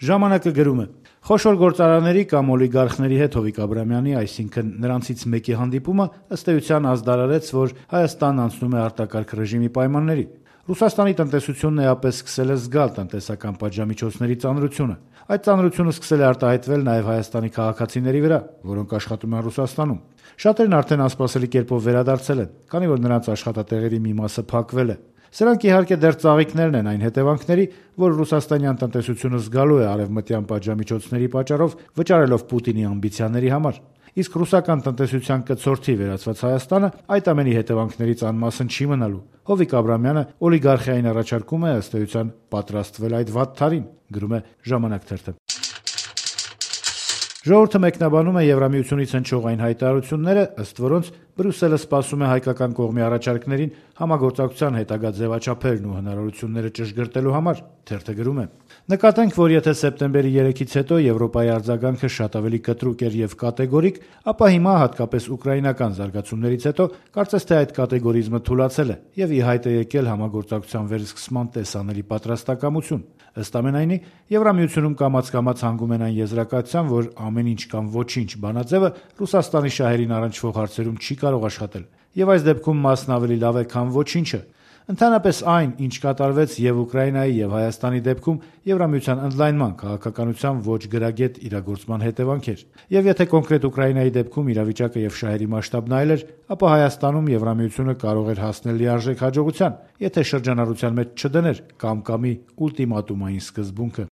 Ժամանակը գրում է. խոշոր գործարանների կամ օլիգարխների հետ Հովիկ Աբրամյանի, այսինքն նրանցից մեկի հանդիպումը ըստ էության ազդարարեց, որ Հայաստանն անցնում է արտակարգ ռեժիմի պայմանների։ Ռուսաստանի տնտեսությունն էապես սկսել է զգալ տնտեսական պատժամիջոցների ծանրությունը։ Այդ ծանրությունը սկսել է արտահայտվել նաև Հայաստանի քաղաքացիների վրա, որոնք աշխատում են Ռուսաստանում։ Շատերն արդեն անսպասելի կերպով վերադարձել են, քանի որ նրանց աշխատատեղերի մի մասը փակվել է։ Սրանք իհարկե դեռ ծաղիկներն են այն հետևանքների, որ ռուսաստանյան տնտեսությունը զգալու է արևմտյան պատժամիջոցների պատճառով, վճարելով Պուտինի ամբիցիաների համար։ Իսկ ռուսական տնտեսության կցորդի վերածված Հայաստանը այդ ամենի հետևանքներից անմասն չի մնալու։ Հովիկ Աբրամյանը օլիգարխիային առաջարկում է ըստ էության պատրաստվել այդ վատթարին, գրում է Ժամանակ թերթը։ Ժողովուրդը մեկնաբանում է Եվրամիությունից հնչող այն հայտարարությունները, ըստ որոնց Բրյուսելը սպասում է հայկական կողմի առաջարկներին համագործակցության հետագա ձևաչափերն ու հնարավորությունները ճշգրտելու համար։ Թերթը գրում է. նկատենք, որ եթե սեպտեմբերի 3-ից հետո Եվրոպայի արձագանքը շատ ավելի կտրուկ էր եւ կատեգորիկ, ապա հիմա հատկապես ուկրաինական զարգացումներից հետո կարծես թե այդ կատեգորիզմը թուլացել է եւ ի հայտ է եկել համագործակցության վերսկսման տեսանելի պատրաստակամություն։ Ըստ ամենայնի, Եվրամիությունում կամաց-կամաց հանգում են այն եզրակացության, որ ամեն ինչ կամ ոչինչ բանաձևը Ռուսաստանի շահերին առնչվող հարցերում չի կարող աշխատել, եւ այս դեպքում մասն ավելի լավ է, քան ոչինչը։ Ընդհանրապես այն, ինչ կատարվեց եւ Ուկրաինայի եւ Հայաստանի դեպքում Եվրամիության ընդլայնման քաղաքականության ոչ գրագետ իրագործման հետևանք էր։ Եվ եթե կոնկրետ Ուկրաինայի դեպքում իրավիճակը եւ շահերի մասշտաբն այլ էր, ապա Հայաստանում Եվրամիությունը կարող էր հասնել լիարժեք հաջողության, եթե շրջանառության մեջ չդներ կամ-կամի ուլտիմատումային սկզբունքը։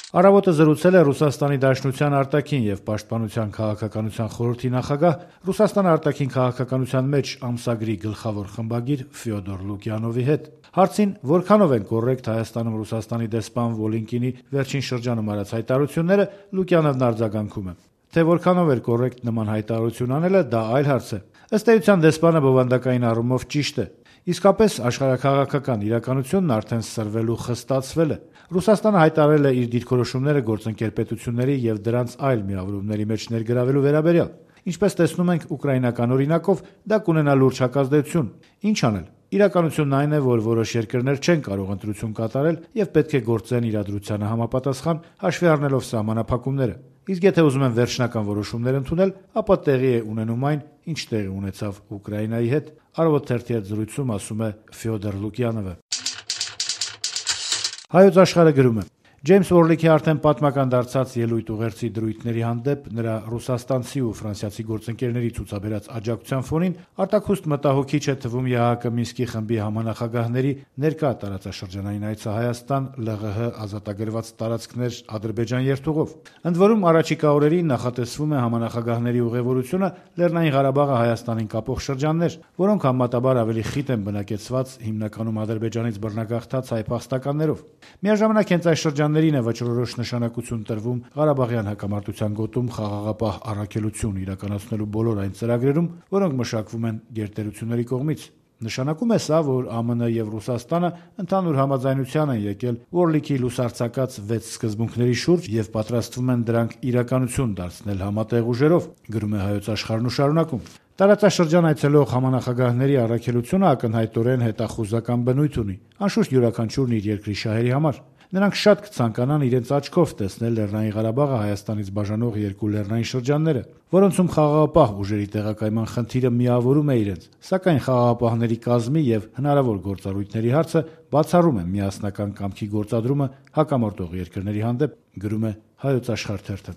Առավոտը զրուցել է Ռուսաստանի Դաշնության արտաքին եւ պաշտպանության քաղաքականության խորհրդի նախագահ, Ռուսաստանի արտաքին քաղաքականության մեջ ամսագրի գլխավոր խմբագիր Ֆյոդոր Լուկյանովի հետ։ Հարցին, որքանով են կոռեկտ Հայաստանում Ռուսաստանի դեսպան Վոլինկինի վերջին շրջանում արած հայտարարությունները, Լուկյանովն արձագանքում է. թե որքանով էր կոռեկտ նման հայտարարություն անելը, դա այլ հարց է։ Ըստ էության դեսպանը բովանդակային առումով ճիշտ է։ Իսկապես աշխարհաքաղաքական իրականությունն արդեն սրվել ու խստացվել է։ Ռուսաստանը հայտարարել է իր դիրքորոշումները գործընկեր պետությունների եւ դրանց այլ միավորումների մեջ ներգրավելու վերաբերյալ։ Ինչպես տեսնում ենք ուկրաինական օրինակով, դա կունենա լուրջ հակազդեցություն։ Ինչ անել։ Իրականությունն այն է, որ որոշ երկրներ չեն կարող ընտրություն կատարել եւ պետք է գործեն իրադրությանը համապատասխան, հաշվի առնելով սահմանափակումները։ Իսկ եթե ուզում են վերջնական որոշումներ ընդունել, ապա տեղի է ունենում այն, ինչ տեղի ունեցավ Ուկրաինայի հետ, Առավոտ թերթի հետ զրույցում ասում է Ֆյոդոր Լուկյանովը։ Հայոց Աշխարհը գրում է. Ջեյմս Օրլիքի արդեն պատմական դարձած ելույթ ուղերձի դրույթների հանդեպ նրա ռուսաստանցի ու ֆրանսիացի գործընկերների ցուցաբերած աջակցության ֆոնին արտաքուստ մտահոգիչ է թվում ԵԱՀԿ Մինսկի խմբի համանախագահների ներկա տարածաշրջանային այցը Հայաստան, ԼՂՀ ազատագրված տարածքներ Ադրբեջան երթուղով։ Ընդ որում առաջիկա օրերին նախատեսվում է համանախագահների ուղևորությունը Լեռնային Ղարաբաղը Հայաստանին կապող շրջաններ, որոնք համեմատաբար ավելի խիտ են բնակեցված հիմնականում Ադրբեջանից բռնագաղթած հայ փախստականներով։ Միաժամանակ հենց այս շրջաններին է վճռորոշ նշանակություն տրվում Ղարաբաղյան հակամարտության գոտում խաղաղապահ առաքելություն իրականացնելու բոլոր այն ծրագրերում, որոնք մշակվում են գերտերությունների կողմից։ Նշանակում է սա, որ ԱՄՆ եւ Ռուսաստանը ընդհանուր համաձայնության են եկել Օրլիքի լուսարձակած 6 սկզբունքների շուրջ եւ պատրաստվում են դրանք իրականություն դարձնել համատեղ ուժերով, գրում է Հայոց Աշխարհն ու շարունակում. Տարածաշրջան այցելող համանախագահների առաքելությունը ակնհայտորեն հետախուզական բնույթ ունի, անշուշտ յուրաքանչյուրն իր երկրի շահերի համար։ Նրանք շատ կցանկանան իրենց աչքով տեսնել Լեռնային Ղարաբաղը Հայաստանից բաժանող երկու լեռնային շրջանները, որոնցում խաղաղապահ ուժերի տեղակայման խնդիրը միավորում է իրենց, սակայն խաղաղապահների կազմի եւ հնարավոր գործառույթների հարցը բացառում է միասնական կամքի գործադրումը հակամարտող երկրների հանդեպ, գրում է Հայոց Աշխարհ թերթը։